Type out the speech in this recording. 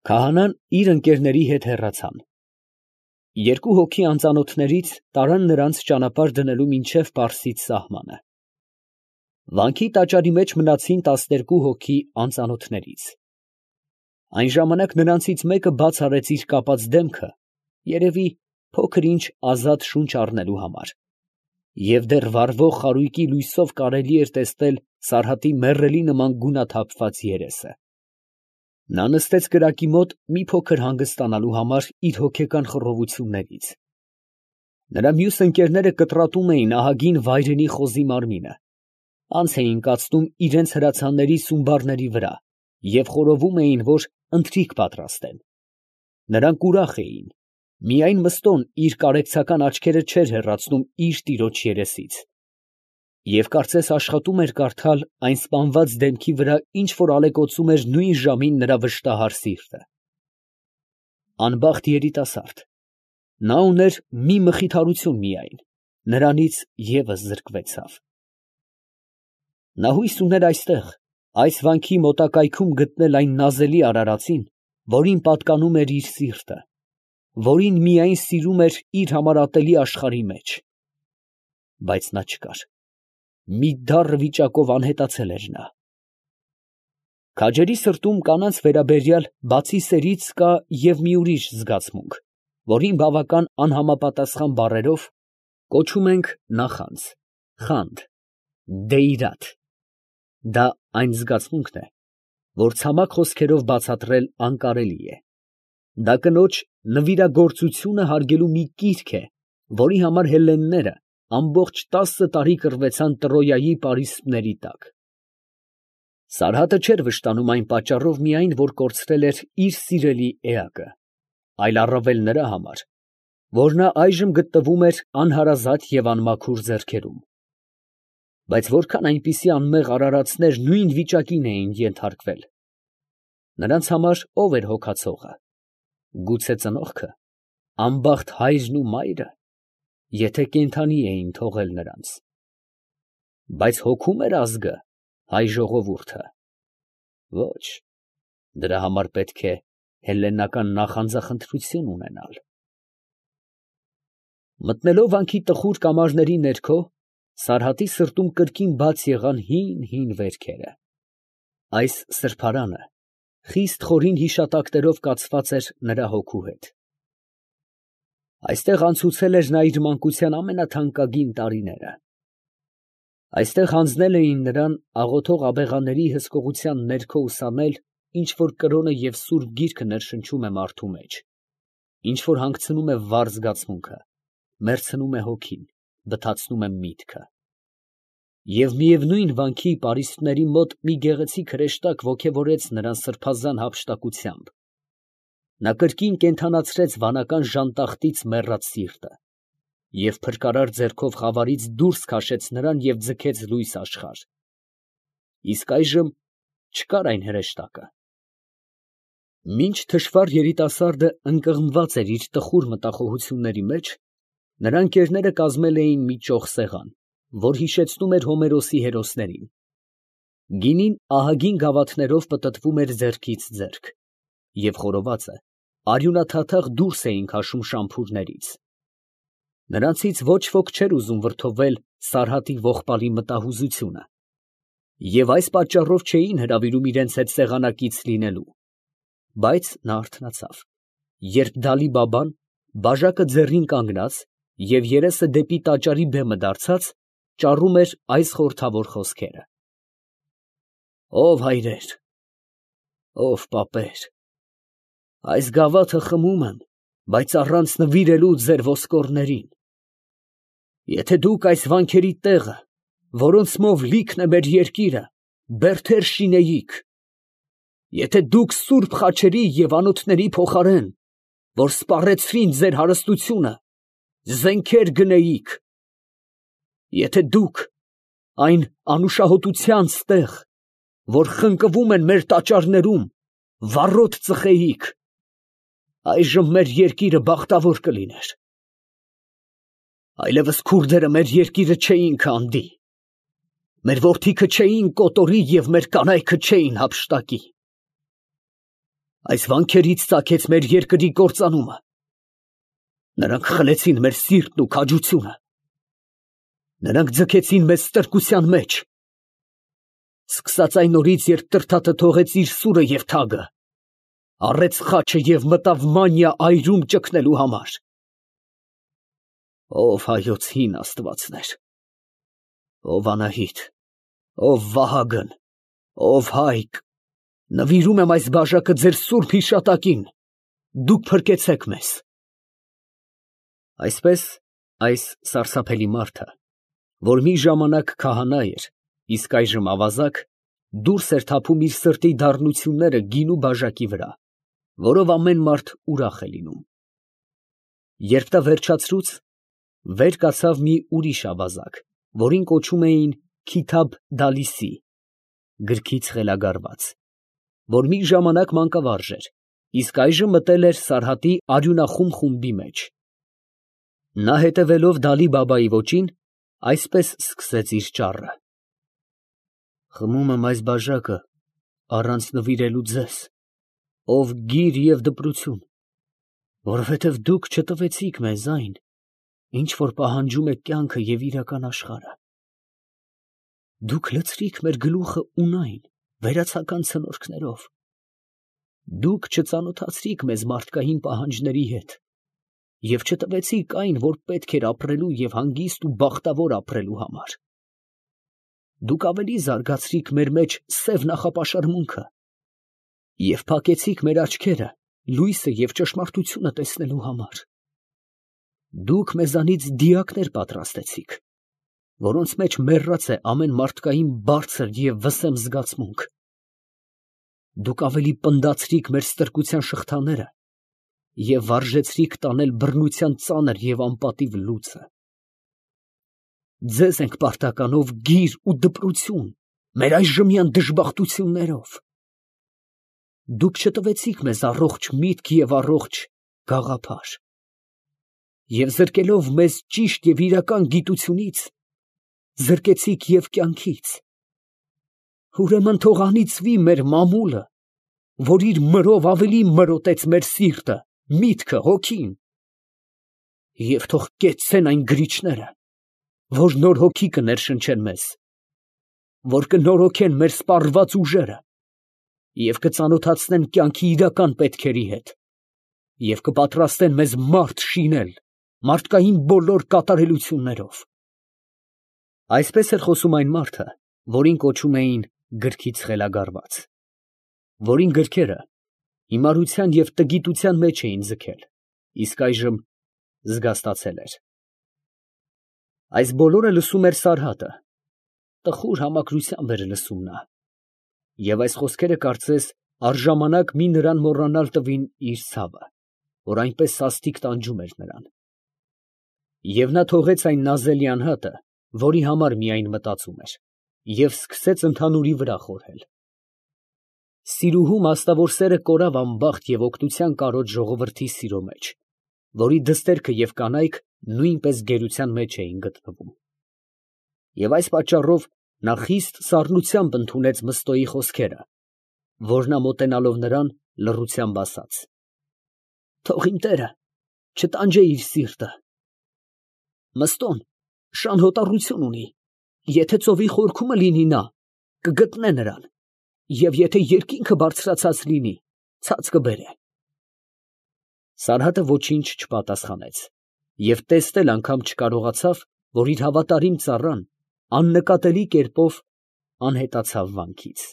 Քահանան իր ընկերների հետ հեռացան։ Երկու հոգի անծանոթներից տարան նրանց ճանապարհ դնելու մինչև Պարսից սահմանը։ Վանքի տաճարի մեջ մնացին 12 հոգի անծանոթներից։ Այն ժամանակ նրանցից մեկը բաց արեց իր կապած դեմքը, երևի փոքր ինչ ազատ շունչ առնելու համար, և դեռ վառվող խարույկի լույսով կարելի էր տեսնել Սարհատի մեռելի նման գունաթափված երեսը։ Նա նստեց կրակի մոտ մի փոքր հանգստանալու համար իր հոգեկան խռովություններից։ Նրա մյուս ընկերները կտրատում էին ահագին վայրենի խոզի մարմինը, անց էին կացնում իրենց հրացանների սումբաների վրա և խորովում էին, որ ընթրիք պատրաստեն։ Նրանք ուրախ էին, միայն Մըստոն իր կարեկցական աչքերը չէր հեռացնում իր տիրոջ երեսից, և կարծես աշխատում էր կարդալ այն սպանված դեմքի վրա ինչ որ ալեկոծում էր նույն ժամին նրա վշտահար սիրտը։ Անբախտ երիտասարդ, նա ուներ մի մխիթարություն միայն, նրանից ևս զրկվեցավ։ Նա հույս ուներ այստեղ, այս վանքի մոտակայքում գտնել այն նազելի արարածին, որին պատկանում էր իր սիրտը, որին միայն սիրում էր իր համար ատելի աշխարհի մեջ։ Բայց նա չկար, մի դառն վիճակով անհետացել էր նա։ Քաջերի սրտում կանանց վերաբերյալ բացի սերից կա և մի ուրիշ զգացմունք, որին բավական անհամապատասխան բառերով կոչում ենք նախանձ, խանդ, դա այն զգացմունքն է, որ ցամաք խոսքերով բացատրել անկարելի է։ Դա կնոջ նվիրագործությունը հարգելու մի կիրք է, որի համար հելլենները ամբողջ 10 տարի կռվեցան Տրոյայի պարիսպների տակ։ Սարհատը չէր վշտանում այն պատճառով միայն, որ կորցրել էր իր սիրելի էակը, այլ առավել նրա համար, որ նա այժմ գտնվում էր անհարազատ և անմաքուր ձեռքերում։ Բայց որքան այնպիսի անմեղ արարածներ նույն վիճակին էին ենթարկվել, նրանց համար ո՞վ էր հոգացողը, գուցե ծնողքը, անբախտ հայրն ու մայրը, եթե կենդանի էին թողել նրանց։ Բայց հոգում էր ազգը, հայ ժողովուրդը։ Ոչ, դրա համար պետք է հելլենական նախանձախնդրություն ունենալ։ Մտնելով վանքի տխուր կամարների ներքո, Սարհատի սրտում կրկին բաց եղան հին վերքերը։ Այս սրբարանը խիստ խորին հիշատակներով կացված էր նրա հոգու հետ։ Այստեղ անցուցել էր նա իր մանկության ամենաթանկագին տարիները։ Այստեղ հանձնել էին նրան աղոթող աբեղաների հսկողության ներքո ուսանել, ինչ որ կրոնը և սուրբ գիրքը ներշնչում է մարդու մեջ, ինչ որ հանգցնում է վառ զգացմունքը, մերձնում է հոգին, բթացնում է միտքը։ Եվ միևնույն վանքի պարիսպների մոտ մի գեղեցիկ հրեշտակ ոգևորեց նրան սրբազան հափշտակությամբ։ Նա կրկին կենդանացրեց վանական ժանտախտից մեռած սիրտը և փրկարար ձեռքով խավարից դուրս քաշեց նրան և ձգեց լույս աշխարհ։ Իսկ այժմ չկար այն հրեշտակը։ Մինչ թշվառ երիտասարդը ընկղմված էր իր տխուր մտախոհությունների մեջ, նրա ընկերները կազմել էին մի ճոխ սեղան, որ հիշեցնում էր Հոմերոսի հերոսներին։ Գինին ահագին գավաթներով պտտվում էր ձեռքից ձեռք, և խորովածը արյունաթաթախ դուրս էին քաշում շամփուրներից։ Նրանցից ոչ ոք չէր ուզում վրդովել Սարհատի ողբալի մտահուզությունը, և այս պատճառով չէին հրավիրում իրենց հետ սեղանակից լինելու։ Բայց նա արթնացավ, երբ Դալի֊Բաբան, բաժակը ձեռին կանգնած և երեսը դեպի տաճարի բեմը դարձած, ճառում էր այս խորհրդավոր խոսքերը. «Ո՛վ հայրեր, ո՛վ պապեր, այս գավաթը խմում եմ, բայց առանց նվիրելու ձեր ոսկորներին։ Եթե դուք այս վանքերի տեղը, որոնցմով լիքն է մեր երկիրը, բերդեր շինեիք, եթե դուք սուրբ խաչերի և անոթների փոխարեն, որ սպառեցրին ձեր հարստությունը, զենքեր գնեիք, եթե դուք այն անուշահոտությանց տեղ, որ խնկվում են մեր տաճարներում, վառոդ ծխեիք, այժմ մեր երկիրը բախտավոր կլիներ։ Այլևս քուրդերը մեր երկիրը չէին քանդի, մեր որդիքը չէին կոտորի և մեր կանայքը չէին հափշտակի։ այս վանքերից ծագեց մեր երկրի կործանումը։ Նրանք խլեցին մեր սիրտն ու քաջությունը։ Նրանք ձգեցին մեզ ստրկության մեջ։ Սկսած այն օրից, երբ Տրդատը թողեց իր սուրը և թագը, առեց խաչը և մտավ Մանիա այրում ճգնելու համար։ Ով հայոց հին աստվածներ, ով Անահիտ, ով Վահագն, ով Հայկ, նվիրում եմ այս բաժակը ձեր սուրբ հիշատակին, դուք փրկեցեք մեզ։ Այսպես այս սարսափելի մարդը, որ մի ժամանակ քահանա էր, իսկ այժմ ավազակ, դուրս էր թափում իր սրտի դառնությունները գինու բաժակի վրա, որով ամեն մարդ ուրախ է լինում։ Երբ դա վերջացրուց, վեր կացավ մի ուրիշ ավազակ, որին կոչում էին Քիթաբ Դալիսի, գրքից խելագարված, որ մի ժամանակ մանկավարժ էր, իսկ այժմ մտել էր Սարհատի արյունախում խումբի մեջ։ Նա հետևելով Դալի֊Բաբայի ոճին, այսպես սկսեց իր ճառը. «Խմում եմ այս բաժակը առանց նվիրելու ձեզ, ով գիր և դպրություն, որովհետև դուք չտվեցիք մեզ այն, ինչ որ պահանջում է կյանքը և իրական աշխարհը։ Դուք լցրիք մեր գլուխը ունայն, վերացական ցնորքներով։ Դուք չծանոթացրիք մեզ մարդկային պահանջների հետ և չտվեցիք այն, որ պետք էր ապրելու և հանգիստ ու բախտավոր ապրելու համար։ Դուք ավելի զարգացրիք մեր մեջ սև նախապաշարմունքը և փակեցիք մեր աչքերը լույսը և ճշմարտությունը տեսնելու համար։ Դուք մեզանից դիակներ պատրաստեցիք, որոնց մեջ մեռած է ամեն մարդկային բարձր և վսեմ զգացմունք։ Դուք ավելի պնդացրիք մեր ստրկության շղթաները և վարժեցրիք տանել բռնության ծանր և անպատիվ լուծը։ Ձեզ ենք պարտական գիր ու դպրություն մեր այժմյան դժբախտություններով։ Դուք չտվեցիք մեզ առողջ միտք և առողջ գաղափար, և զրկելով մեզ ճիշտ և իրական գիտությունից, զրկեցիք և կյանքից։ Ուրեմն թող անիծվի մեր մամուլը, որ իր մրով ավելի մրոտեց մեր սիրտը, միտքը, հոգին, և թող կեցցեն այն գրիչները, որ նոր հոգի կներշնչեն մեզ, որ կնորոգեն մեր սպառված ուժերը և կծանոթացնեն կյանքի իրական պետքերի հետ և կպատրաստեն մեզ մարդ շինել մարդկային բոլոր կատարելություններով»։ Այսպես էր խոսում այն մարդը, որին կոչում էին գրքից խելագարված, որին գրքերը հիմարության և տգիտության մեջ էին ձգել, իսկ այժմ զգաստացել էր։ Այս բոլորը լսում էր Սարհատը, տխուր համակրությամբ էր լսում նա, և այս խոսքերը կարծես առժամանակ մի նրան մոռանալ տվին իր ցավը, որ այնպես սաստիկ տանջում էր նրան։ Եվ նա թողեց այն նազելի անհատը, որի համար միայն մտածում էր, և սկսեց ընդհանուրի վրա խորհել։ Սիրուհու մաստավոր սերը կորավ անբախտ և օգնության կարոտ ժողովրդի սիրո մեջ, որի դստերքը և կանայք նույնպես գերության մեջ էին գտնվում։ Եվ այս պատճառով նա խիստ սառնությամբ ընդունեց Մըստոյի խոսքերը, որ նա մոտենալով նրան լռությամբ ասաց. «Թող իմ տերը չտանջե իր սիրտը. Մըստոն շան հոտառություն ունի, եթե ծովի խորքումն լինի նա, կգտնե նրան, և եթե երկինքը բարձրացած լինի, ցած կբերե»։ Սարհատը ոչինչ չպատասխանեց և տեսնել անգամ չկարողացավ, որ իր հավատարիմ ծառան աննկատելի կերպով անհետացավ վանքից։